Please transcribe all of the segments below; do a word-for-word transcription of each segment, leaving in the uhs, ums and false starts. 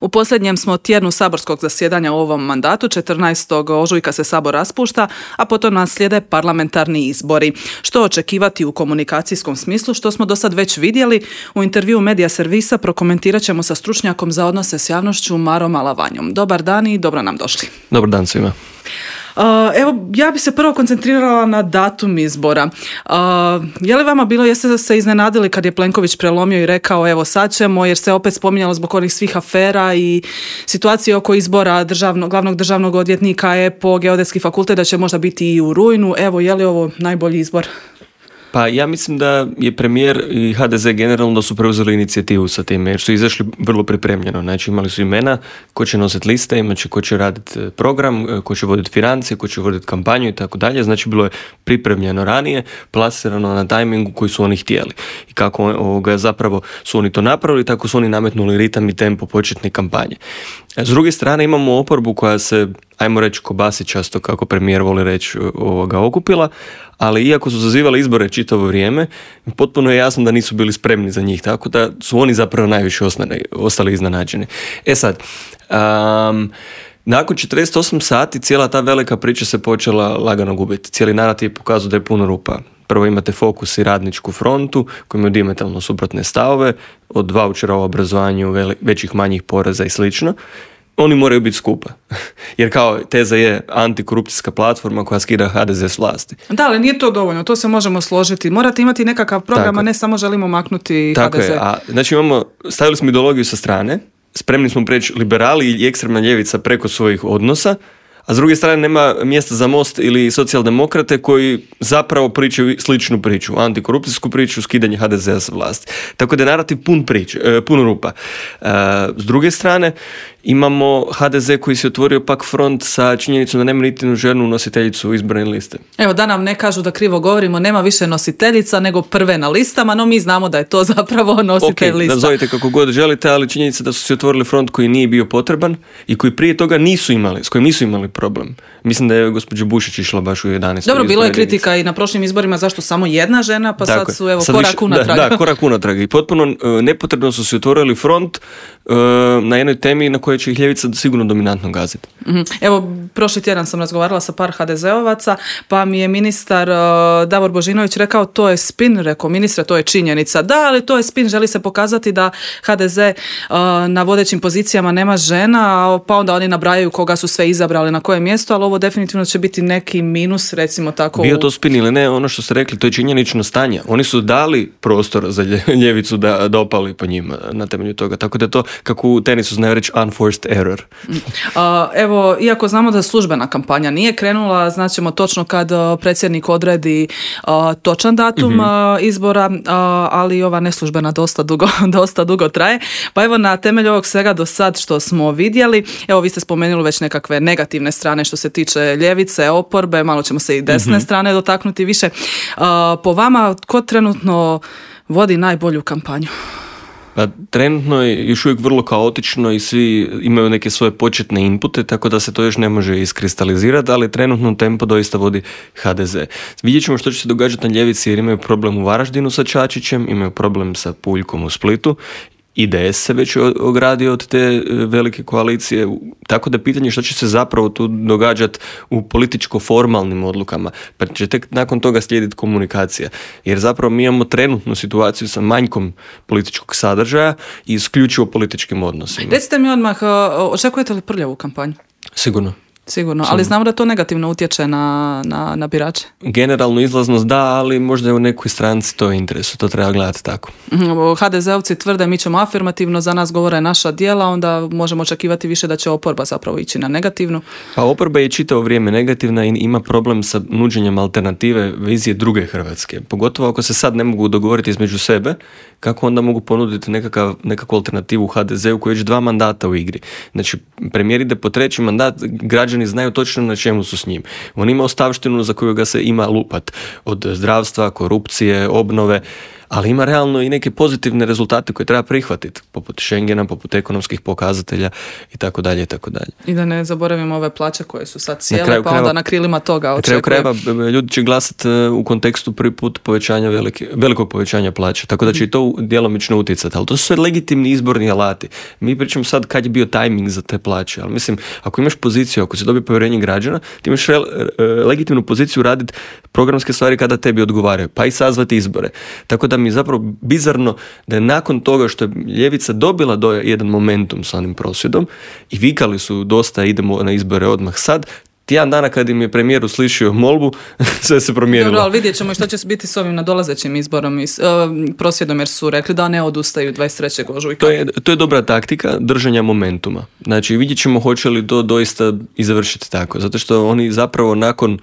U posljednjem smo tjednu saborskog zasjedanja u ovom mandatu, četrnaestog ožujka se sabor raspušta, a potom nas slijede parlamentarni izbori. Što očekivati u komunikacijskom smislu, što smo do sad već vidjeli, u intervjuu Medija servisa prokomentirat ćemo sa stručnjakom za odnose s javnošću Marom Alavanjom. Dobar dan i dobro nam došli. Dobar dan svima. Uh, evo, ja bi se prvo koncentrirala na datum izbora. Uh, je li vama bilo, jeste se iznenadili kad je Plenković prelomio i rekao evo sad ćemo, jer se opet spominjalo zbog onih svih afera i situacije oko izbora državno, glavnog državnog odvjetnika, E P O, Geodetski fakultet, da će možda biti i u rujnu. Evo, je li ovo najbolji izbor? Pa ja mislim da je premijer i H D Z generalno da su preuzeli inicijativu sa time, jer su izašli vrlo pripremljeno. Znači imali su imena ko će nositi liste, imat će ko će raditi program, ko će voditi financije, ko će voditi kampanju i tako dalje. Znači bilo je pripremljeno ranije, plasirano na tajmingu koji su oni htjeli. I kako ovoga, zapravo su oni to napravili, tako su oni nametnuli ritam i tempo početne kampanje. S druge strane imamo oporbu koja se, ajmo reći, kobasi často, kako premijer voli reći, ovoga, okupila, ali iako su zazivali izbore čitavo vrijeme, potpuno je jasno da nisu bili spremni za njih, tako da su oni zapravo najviše ostali, ostali iznenađeni. E sad, um, nakon četrdeset osam sati cijela ta velika priča se počela lagano gubiti. Cijeli narativ pokazuje da je puno rupa. Prvo imate Fokus i Radničku frontu koji imaju dijametralno suprotne stavove, od vaučera o obrazovanju, većih manjih poreza i slično. Oni moraju biti skupa. Jer kao teza je antikorupcijska platforma koja skida H D Z s vlasti. Da, ali nije to dovoljno, to se možemo složiti. Morate imati nekakav program, a ne samo želimo maknuti Tako H D Z. Je. A, znači imamo, stavili smo ideologiju sa strane, spremni smo preći liberali i ekstremna ljevica preko svojih odnosa, a s druge strane nema mjesta za Most ili socijaldemokrate koji zapravo pričaju sličnu priču, antikorupcijsku priču, skidanje H D Z-a sa vlasti. Tako da je narativ pun, prič, pun rupa. S druge strane imamo H D Z koji se otvorio pak front sa činjenicom da nema niti jednu ženu nositeljicu izborne liste. Evo, da nam ne kažu da krivo govorimo, nema više nositeljica nego prve na listama, no mi znamo da je to zapravo nositelj okay, lista. Nazovite kako god želite, ali činjenica da su se otvorili front koji nije bio potreban i koji prije toga nisu imali, s kojim nisu imali problem. Mislim da je gospođa Bušić išla baš u jedanaestoj Dobro, bilo je kritika i na prošlim izborima zašto samo jedna žena, pa Tako sad su evo sad korak više, unatrag. Da, da, korak unatrag. I potpuno uh, nepotrebno su se otvorili front uh, na jednoj temi na kojoj će ih ljevica sigurno dominantno gaziti. Mm-hmm. Evo, prošli tjedan sam razgovarala sa par H D Z-ovaca, pa mi je ministar uh, Davor Božinović rekao to je spin, rekao ministre, to je činjenica. Da, ali to je spin, želi se pokazati da H D Z uh, na vodećim pozicijama nema žena, pa onda oni nabrajaju koga su sve izabrali na koje mjesto, ali ovo definitivno će biti neki minus, recimo tako. Bio to spin ili ne, ono što ste rekli, to je činjenično stanje. Oni su dali prostor za ljevicu da, da opali po njima na temelju toga. Tako da je to, kako u tenisu znaju reći, unforced error. Uh, evo, iako znamo da službena kampanja nije krenula, znaćemo točno kad uh, predsjednik odredi uh, točan datum mm-hmm. uh, izbora, uh, ali ova neslužbena dosta dugo, dosta dugo traje. Pa evo, na temelju ovog svega do sad što smo vidjeli, evo vi ste spomenuli već nekakve negativne strane što se tiče ljevice, oporbe, malo ćemo se i desne mm-hmm. strane dotaknuti više. Uh, po vama, tko trenutno vodi najbolju kampanju? Pa trenutno je još uvijek vrlo kaotično i svi imaju neke svoje početne inpute, tako da se to još ne može iskristalizirati, ali trenutno tempo doista vodi H D Z. Vidjet ćemo što će se događati na ljevici jer imaju problem u Varaždinu sa Čačićem, imaju problem sa Puljkom u Splitu. I D S se već ogradio od te velike koalicije, tako da je pitanje što će se zapravo tu događati u političko-formalnim odlukama, pa će tek nakon toga slijediti komunikacija. Jer zapravo mi imamo trenutnu situaciju sa manjkom političkog sadržaja i isključivo političkim odnosima. Recite mi odmah, očekujete li prljavu kampanju? Sigurno. Sigurno, ali znamo da to negativno utječe na, na, na birače. Generalno izlaznost da, ali možda je u nekoj stranci to interesu, to treba gledati tako. H D Z-ovci tvrde mi ćemo afirmativno, za nas govore naša djela, onda možemo očekivati više da će oporba zapravo ići na negativnu. Pa oporba je čitavo vrijeme negativna i ima problem sa nuđenjem alternative vizije druge Hrvatske. Pogotovo ako se sad ne mogu dogovoriti između sebe, kako onda mogu ponuditi nekakav, nekakvu alternativu H D Z-u koji je već dva mandata u igri. Znači, premijer ide po treći mandat, građani znaju točno na čemu su s njim. On ima ostavštinu za koju ga se ima lupat. Od zdravstva, korupcije, obnove, ali ima realno i neke pozitivne rezultate koje treba prihvatiti, poput Schengena, poput ekonomskih pokazatelja i tako dalje i tako dalje. I da ne zaboravimo ove plaće koje su sad cijele, kraju pa krajeva, onda na krilima toga očekujem. Na kraju krajeva ljudi će glasati u kontekstu prvi put povećanja velike, velikog povećanja plaća, tako da će i to djelomično utjecati, ali to su sve legitimni izborni alati. Mi pričamo sad kad je bio tajming za te plaće, ali mislim, ako imaš poziciju, ako si dobio povjerenje građana, ti imaš re, legitimnu poziciju raditi programske stvari kada tebi odgovaraju, pa i sazvati izbore. Tako da mi je zapravo bizarno da je nakon toga što je ljevica dobila do jedan momentum sa onim prosvjedom i vikali su dosta idemo na izbore odmah sad, tjedan dana kad im je premijer uslišio molbu, sve se promijenilo. Dobro, ali vidjet ćemo što će biti s ovim nadolazećim izborom i uh, prosvjedom, jer su rekli da ne odustaju dvadeset trećeg ožujka. To je, to je dobra taktika držanja momentima. Znači, vidjet ćemo hoće li to doista i završiti tako. Zato što oni zapravo nakon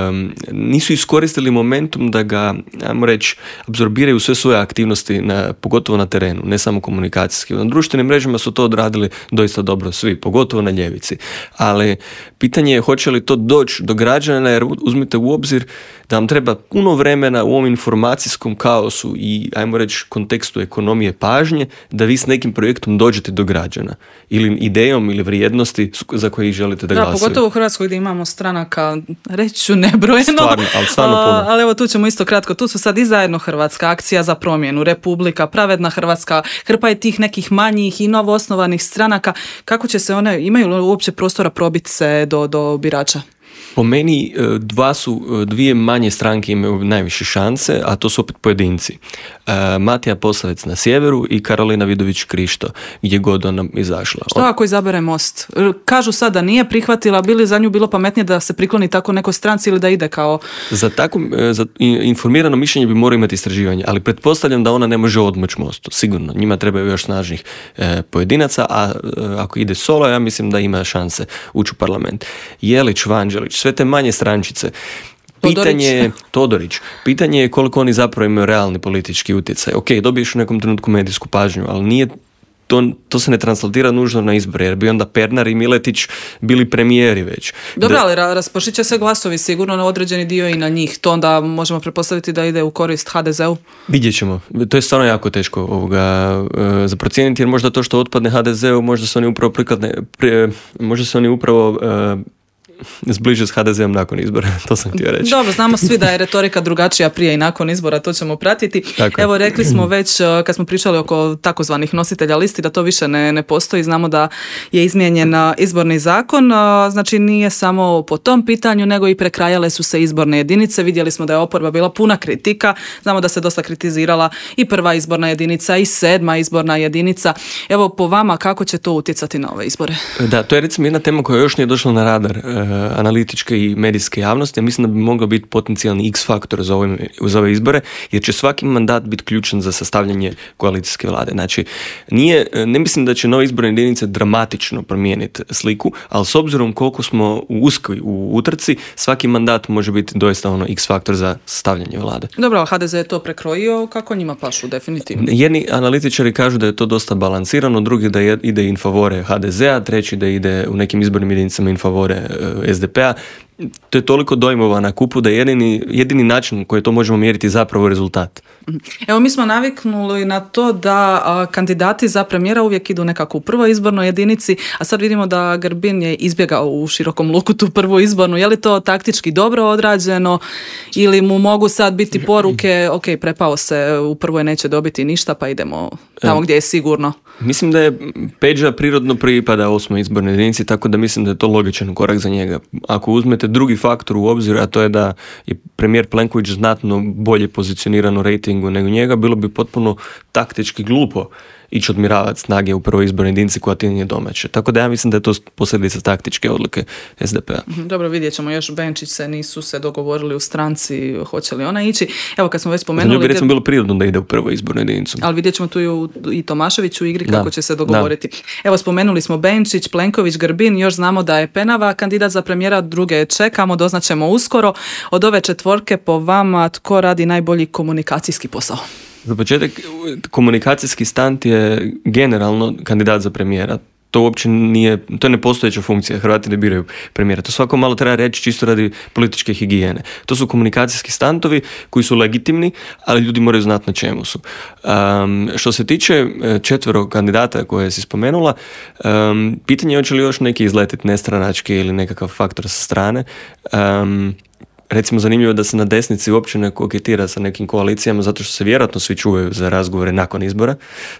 Um, nisu iskoristili momentum da ga, ajmo reći, apsorbiraju sve svoje aktivnosti, na, pogotovo na terenu, ne samo komunikacijski. Na društvenim mrežama su to odradili doista dobro svi, pogotovo na ljevici. Ali pitanje je hoće li to doći do građana, jer uzmite u obzir da vam treba puno vremena u ovom informacijskom kaosu i, ajmo reći, kontekstu ekonomije pažnje, da vi s nekim projektom dođete do građana. Ili idejom ili vrijednosti za koje ih želite da, da glasaju. Da, pogotovo u Hrvatskoj gdje imamo stranaka, reći ću nebrojeno, stvarno, ali, stvarno puno. ali evo tu ćemo isto kratko, tu su sad i zajedno Hrvatska, Akcija za promjenu, Republika, Pravedna Hrvatska, hrpa je tih nekih manjih i novoosnovanih stranaka. Kako će se one, imaju li uopće prostora probiti se do, do birača? Po meni dva su, dvije manje stranke imaju najviše šanse, a to su opet pojedinci. Matija Posavec na sjeveru i Karolina Vidović Krišto, gdje god ona izašla. Što ako izabere Most? Kažu sad da nije prihvatila, bili za nju bilo pametnije da se prikloni tako nekoj stranci ili da ide kao... Za tako za informirano mišljenje bi morao imati istraživanje, ali pretpostavljam da ona ne može odmoći Mostu. Sigurno, njima trebaju još snažnih e, pojedinaca, a e, ako ide solo, ja mislim da ima šanse ući u parlament. Jelić, Vanđelić, sve te manje strančice. Pitanje je, Todorić, pitanje je koliko oni zapravo imaju realni politički utjecaj. Ok, dobiješ u nekom trenutku medijsku pažnju, ali nije to, to se ne translatira nužno na izbore, jer bi onda Pernar i Miletić bili premijeri već. Dobro, da... ali raspršit će se glasovi sigurno na određeni dio i na njih. To onda možemo pretpostaviti da ide u korist ha de zeu? Vidjet ćemo. To je stvarno jako teško ovoga, uh, za procijeniti, jer možda to što otpadne ha de zeu, možda se oni upravo prikladne, pri, možda se oni upravo uh, zbliže s ha de zeom nakon izbora, to sam htio reći. Dobro, znamo svi da je retorika drugačija prije i nakon izbora, to ćemo pratiti. Tako. Evo, rekli smo već kad smo pričali oko takozvanih nositelja listi da to više ne, ne postoji, znamo da je izmijenjen izborni zakon, znači nije samo po tom pitanju, nego i prekrajale su se izborne jedinice, vidjeli smo da je oporba bila puna kritika, znamo da se dosta kritizirala i prva izborna jedinica i sedma izborna jedinica. Evo, po vama, kako će to utjecati na ove izbore? Da, to je recimo jedna tema koja još nije došla na radar analitičke i medijske javnosti. Ja mislim da bi mogao biti potencijalni X-faktor za ove, za ove izbore, jer će svaki mandat biti ključan za sastavljanje koalicijske vlade. Znači, nije, ne mislim da će nove izborne jedinice dramatično promijeniti sliku, ali s obzirom koliko smo u uskoj u utrci, svaki mandat može biti doista ono X-faktor za sastavljanje vlade. Dobro, ha de ze je to prekrojio, kako njima pašu, definitivno? Jedni analitičari kažu da je to dosta balansirano, drugi da ide in favore ha de zea, treći da ide u nekim izbornim jedinicama in favore es de pe-a. To je toliko dojmova na kupu da je jedini, jedini način koji to možemo mjeriti zapravo rezultat. Evo, mi smo naviknuli na to da a, kandidati za premijera uvijek idu nekako u prvoj izbornoj jedinici, a sad vidimo da Grbin je izbjegao u širokom luku tu prvu izbornu. Je li to taktički dobro odrađeno ili mu mogu sad biti poruke, ok, prepao se, u prvoj neće dobiti ništa, pa idemo tamo gdje je sigurno? Mislim da je Peđa prirodno pripada osmoj izbornoj jedinici, tako da mislim da je to logičan korak za njega. Ako uzmete drugi faktor u obzir, a to je da je premijer Plenković znatno bolje pozicioniran u rejtingu nego njega, bilo bi potpuno taktički glupo ići odmiravati snage u prvoj izbornoj jedinici koja ti nije domaće. Tako da ja mislim da je to posljedica taktičke odluke es de pe-a. Dobro, vidjet ćemo još. Benčić se nisu se dogovorili u stranci, hoće li ona ići. Evo, kad smo već spomenuli... Za nju bi recimo bilo prirodno da ide u prvoj izbornoj jedinicu. Ali vidjet ćemo tu i, i Tomašević u igri kako da, će se dogovoriti. Da. Evo, spomenuli smo Benčić, Plenković, Grbin, još znamo da je Penava kandidat za premijera, druge čekamo, doznaćemo uskoro. Od ove četvorke po vama tko radi najbolji komunikacijski posao? Za početak, komunikacijski stand je generalno kandidat za premijera. to uopće nije, to je nepostojeća funkcija, Hrvati ne biraju premijera. To svako malo treba reći čisto radi političke higijene. To su komunikacijski standovi koji su legitimni, ali ljudi moraju znati na čemu su. Um, što se tiče četvero kandidata koje si spomenula, um, pitanje je hoće li još neki izletiti nestranački ili nekakav faktor sa strane. Um, Recimo, zanimljivo je da se na desnici uopće ne koketira sa nekim koalicijama, zato što se vjerojatno svi čuvaju za razgovore nakon izbora.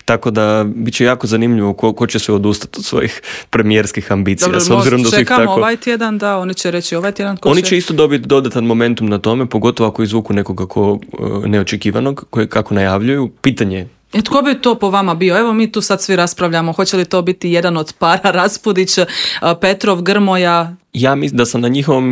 Tako da bit će jako zanimljivo ko, ko će se odustati od svojih premijerskih ambicija. Dobro, s obzirom da čekamo tako... ovaj tjedan, da, oni će reći ovaj tjedan. Ko oni će... će isto dobiti dodatan momentum na tome, pogotovo ako izvuku nekoga ko neočekivanog, koje kako najavljuju. Pitanje je. E, tko bi to po vama bio? Evo mi tu sad svi raspravljamo, hoće li to biti jedan od para, Raspudić, Petrov, Grmoja? Ja mislim da sam na njihovom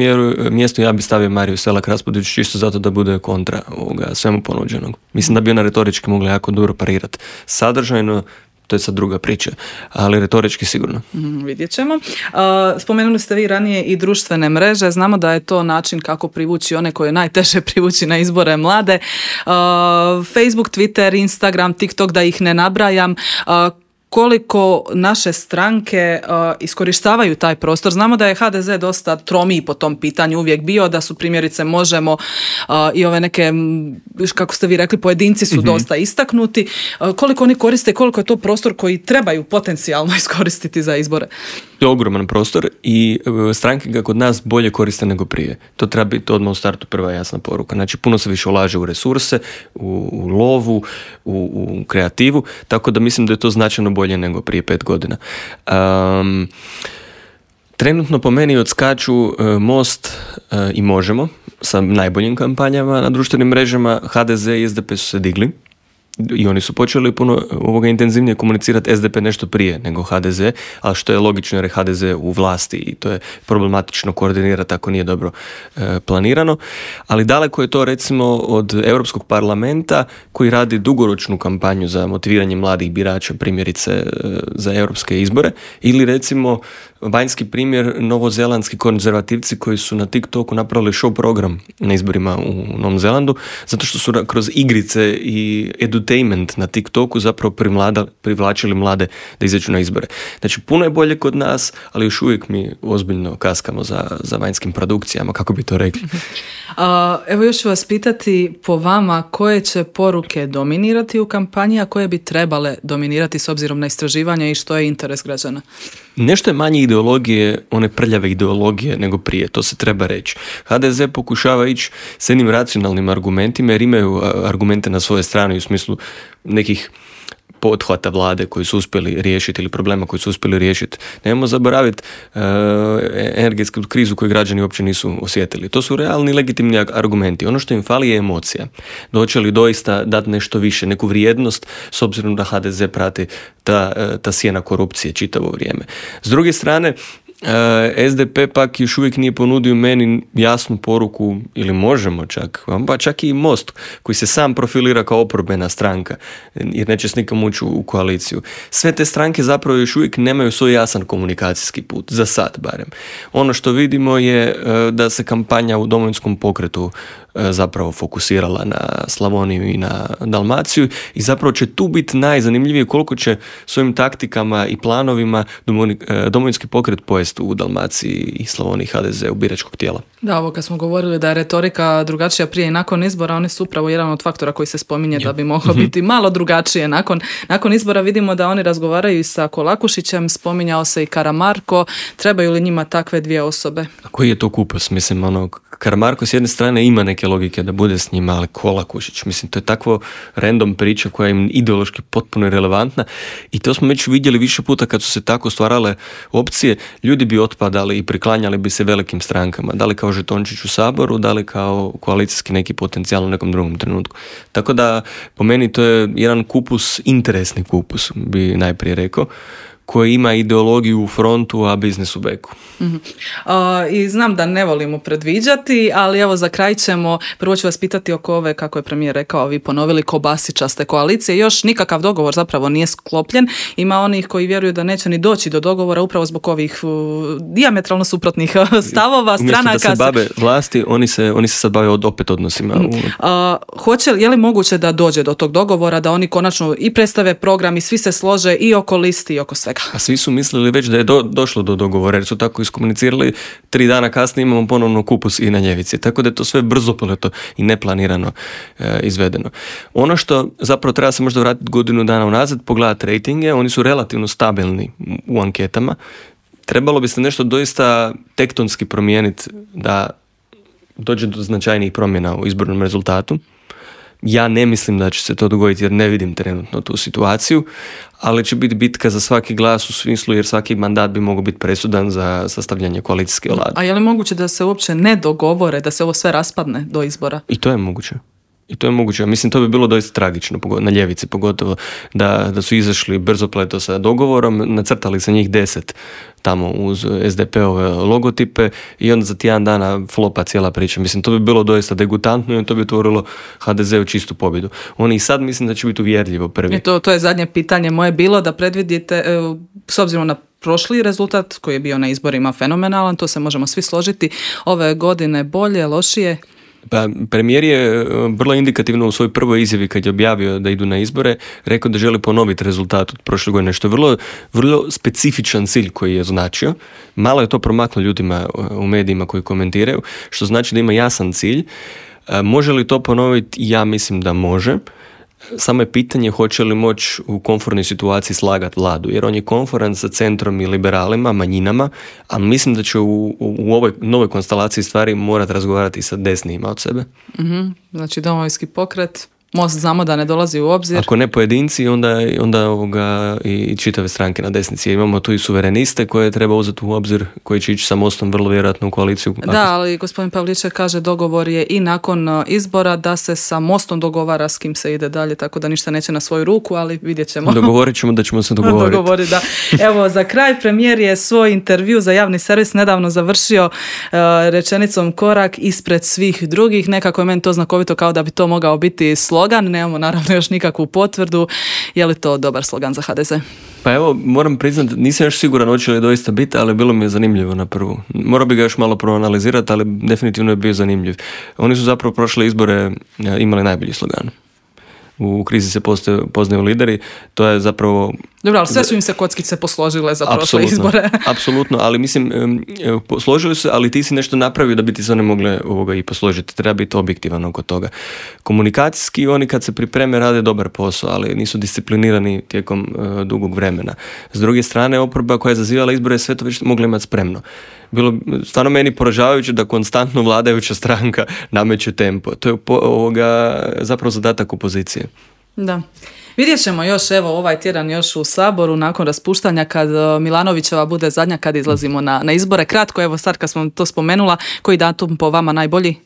mjestu, ja bi stavio Mariju Selak Raspudić čisto zato da bude kontra ovoga svemu ponuđenog. Mislim da bi ona retorički mogla jako dobro parirati. Sadržajno, to je sad druga priča, ali retorički sigurno. Mm, vidjet ćemo. Uh, spomenuli ste vi ranije i društvene mreže. Znamo da je to način kako privući one koje je najteže privući na izbore mlade. Uh, Facebook, Twitter, Instagram, TikTok, da ih ne nabrajam. Uh, koliko naše stranke uh, iskorištavaju taj prostor. Znamo da je ha de ze dosta tromiji po tom pitanju uvijek bio, da su primjerice Možemo uh, i ove neke, kako ste vi rekli, pojedinci su mm-hmm. dosta istaknuti. Uh, koliko oni koriste, koliko je to prostor koji trebaju potencijalno iskoristiti za izbore? To je ogroman prostor i stranke ga kod nas bolje koriste nego prije. To treba biti odmah u startu prva jasna poruka. Znači, puno se više ulaže u resurse, u, u lovu, u, u kreativu, tako da mislim da je to značajno bolje nego prije pet godina. Um, trenutno po meni odskaču uh, Most uh, i Možemo sa najboljim kampanjama na društvenim mrežama. ha de ze i es de pe su se digli. I oni su počeli puno ovoga intenzivnije komunicirati, es de pe nešto prije nego ha de ze, ali što je logično jer je ha de ze u vlasti i to je problematično koordinirati ako nije dobro e, planirano. Ali daleko je to recimo od Europskog parlamenta koji radi dugoročnu kampanju za motiviranje mladih birača, primjerice e, za europske izbore, ili recimo vanjski primjer novozelandski konzervativci koji su na TikToku napravili show program na izborima u Novom Zelandu, zato što su kroz igrice i edutainment na TikToku zapravo primlada, privlačili mlade da izađu na izbore. Znači, puno je bolje kod nas, ali još uvijek mi ozbiljno kaskamo za, za vanjskim produkcijama, kako bi to rekli. Uh, evo još ću vas pitati po vama koje će poruke dominirati u kampanji, a koje bi trebale dominirati s obzirom na istraživanja i što je interes građana? Nešto je manje ideologije, one prljave ideologije nego prije, to se treba reći. ha de ze pokušava ići s jednim racionalnim argumentima jer imaju argumente na svojoj strani u smislu nekih pothvata vlade koji su uspjeli riješiti ili problema koji su uspjeli riješiti. Nemojmo zaboraviti uh, energetsku krizu koju građani uopće nisu osjetili. To su realni legitimni argumenti. Ono što im fali je emocija. Doće li doista dati nešto više, neku vrijednost s obzirom da ha de ze prati ta, ta sjena korupcije čitavo vrijeme. S druge strane, es de pe pak još uvijek nije ponudio meni jasnu poruku, ili Možemo čak, pa čak i Most koji se sam profilira kao oporbena stranka jer neće s nikom ući u koaliciju. Sve te stranke zapravo još uvijek nemaju svoj jasan komunikacijski put, za sad barem. Ono što vidimo je da se kampanja u Domovinskom pokretu zapravo fokusirala na Slavoniju i na Dalmaciju i zapravo će tu biti najzanimljivije koliko će svojim taktikama i planovima Domovinski pokret pojesti u Dalmaciji i Slavoniji ha de ze u biračkog tijela. Da, ovo kad smo govorili da je retorika drugačija prije i nakon izbora, oni su upravo jedan od faktora koji se spominje da bi moglo biti malo drugačije. Nakon, nakon izbora vidimo da oni razgovaraju i sa Kolakušićem, spominjao se i Karamarko, trebaju li njima takve dvije osobe? A koji je to kupus? Mislim, ono, Karamarko s jedne strane ima neke logike da bude s njima, ali Kolakušić, mislim, to je takvo random priča koja je ideološki potpuno irelevantna i to smo već vidjeli više puta kad su se tako stvarale opcije, ljudi bi otpadali i priklanjali bi se velikim strankama, da li kao žetončić u Saboru, da li kao koalicijski neki potencijal u nekom drugom trenutku. Tako da, po meni to je jedan kupus, interesni kupus, bi najprije rekao, koji ima ideologiju u frontu, a biznis u beku. Mm-hmm. Uh, I znam da ne volimo predviđati, ali evo za kraj ćemo, prvo ću vas pitati oko ove, kako je premijer rekao, vi ponovili kobasičaste koalicije, još nikakav dogovor zapravo nije sklopljen, ima onih koji vjeruju da neće ni doći do dogovora upravo zbog ovih uh, dijametralno suprotnih stavova, stranaka. Umjesto da se bave vlasti, oni se, oni se sad bave od, opet odnosima. Uh, hoće, je li moguće da dođe do tog dogovora, da oni konačno i predstave program i svi se slože i oko listi i oko svega? svega. A svi su mislili već da je do, došlo do dogovora, jer su tako iskomunicirali, tri dana kasnije imamo ponovno kupus i na ljevici. Tako da je to sve brzopleto i neplanirano e, izvedeno. Ono što zapravo treba se možda vratiti godinu dana unazad, pogledati rejtinge, oni su relativno stabilni u anketama. Trebalo bi se nešto doista tektonski promijeniti da dođe do značajnijih promjena u izbornom rezultatu. Ja ne mislim da će se to dogoditi jer ne vidim trenutno tu situaciju, ali će biti bitka za svaki glas u smislu jer svaki mandat bi mogao biti presudan za sastavljanje koalicijske vlade. A je li moguće da se uopće ne dogovore, da se ovo sve raspadne do izbora? I to je moguće. I to je moguće. Mislim, to bi bilo doista tragično, na ljevici pogotovo, da, da su izašli brzopleto sa dogovorom, nacrtali sa njih deset tamo uz es de pe-ove logotipe i onda za tjedan dana flopa cijela priča. Mislim, to bi bilo doista degutantno i to bi otvorilo ha de ze u čistu pobjedu. Oni i sad mislim da će biti uvjerljivo prvi. I to, to je zadnje pitanje moje bilo, da predvidite, s obzirom na prošli rezultat koji je bio na izborima fenomenalan, to se možemo svi složiti, ove godine bolje, lošije? Pa, premijer je vrlo indikativno u svojoj prvoj izjavi kad je objavio da idu na izbore rekao da želi ponoviti rezultat od prošle godine, što je vrlo, vrlo specifičan cilj koji je označio. Malo je to promaklo ljudima u medijima koji komentiraju, što znači da ima jasan cilj. Može li to ponoviti? Ja mislim da može. Samo je pitanje hoće li moći u komfortnoj situaciji slagati vladu, jer on je konforan sa centrom i liberalima, manjinama, a mislim da će u, u ovoj novoj konstelaciji stvari morati razgovarati sa desnijima od sebe. Mm-hmm. Znači Domovinski pokret, Most znamo da ne dolazi u obzir. Ako ne pojedinci, onda, onda ovoga i čitave stranke na desnici. Imamo tu i suvereniste koje treba uzeti u obzir, koji će ići sa Mostom vrlo vjerojatno u koaliciju. Da, ali gospodin Pavliček kaže dogovor je i nakon izbora da se sa Mostom dogovara s kim se ide dalje, tako da ništa neće na svoju ruku, ali vidjet ćemo. Dogovorit ćemo da ćemo se dogovoriti. Dogovori, da. Evo, za kraj premijer je svoj intervju za javni servis nedavno završio uh, rečenicom korak ispred svih drugih. Nekako je meni to znakovito kao da bi to mogao biti slogan. Nemamo naravno još nikakvu potvrdu. Je li to dobar slogan za ha de ze? Pa evo, moram priznati, nisam još siguran hoće li doista biti, ali bilo mi je zanimljivo na prvu. Morao bi ga još malo proanalizirati, ali definitivno je bio zanimljiv. Oni su zapravo prošle izbore imali najbolji slogan. U krizi se postoje, poznaju lideri, to je zapravo... Dobro, ali sve su im se kockice posložile za prošle izbore. Apsolutno, ali mislim, posložili su, ali ti si nešto napravio da bi ti se one mogle ovoga i posložiti. Treba biti objektivan oko toga. Komunikacijski oni kad se pripreme rade dobar posao, ali nisu disciplinirani tijekom uh, dugog vremena. S druge strane, oporba koja je zazivala izbore sve to već mogla imati spremno. Bilo stvarno meni poražavajuće da konstantno vladajuća stranka nameće tempo. To je po, ovoga, zapravo zadatak opozicije. Da. Vidjet ćemo još evo ovaj tjedan još u Saboru nakon raspuštanja kad Milanovićeva bude zadnja kad izlazimo na, na izbore. Kratko, evo sad kad smo to spomenula, koji datum po vama najbolji?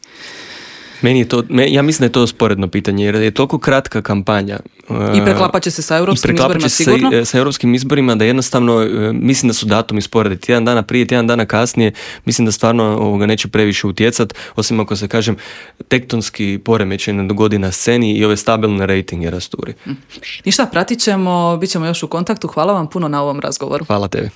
Meni je to, ja mislim da je to sporedno pitanje jer je toliko kratka kampanja. I preklapat će se sa europskim izborima sigurno? I preklapat će se sa europskim izborima da jednostavno mislim da su datumi sporediti. Tjedan dana prije, tjedan dana kasnije mislim da stvarno ovoga neće previše utjecati, osim ako se kažem tektonski poremećaj ne dogodi na sceni i ove stabilne rejtinge rasturi. Ništa, pratit ćemo, bit ćemo još u kontaktu. Hvala vam puno na ovom razgovoru. Hvala tebi.